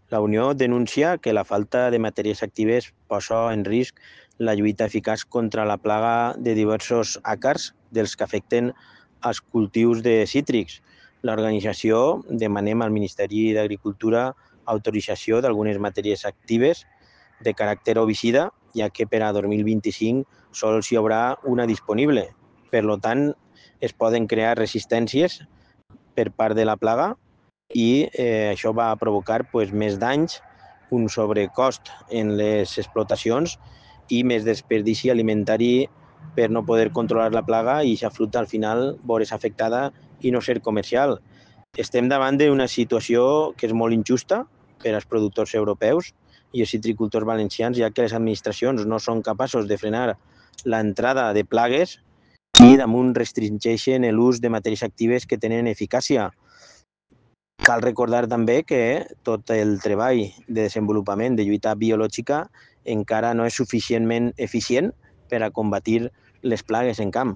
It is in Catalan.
La Unió denuncia que la falta de matèries actives posa en risc la lluita eficaç contra la plaga de diversos àcars dels que afecten els cultius de cítrics. L'organització demanem al Ministeri d'Agricultura autorització d'algunes matèries actives de caràcter herbicida, ja que per a 2025 sols hi haurà una disponible. Per tant, es poden crear resistències per part de la plaga i això va provocar més danys, un sobrecost en les explotacions i més desperdici alimentari per no poder controlar la plaga i aquesta fruita al final veure's afectada i no ser comercial. Estem davant d'una situació que és molt injusta per als productors europeus i els citricultors valencians, ja que les administracions no són capaços de frenar l'entrada de plagues i damunt restringeixen l'ús de matèries actives que tenen eficàcia. Cal recordar també que tot el treball de desenvolupament de lluita biològica encara no és suficientment eficient per a combatir les plagues en camp.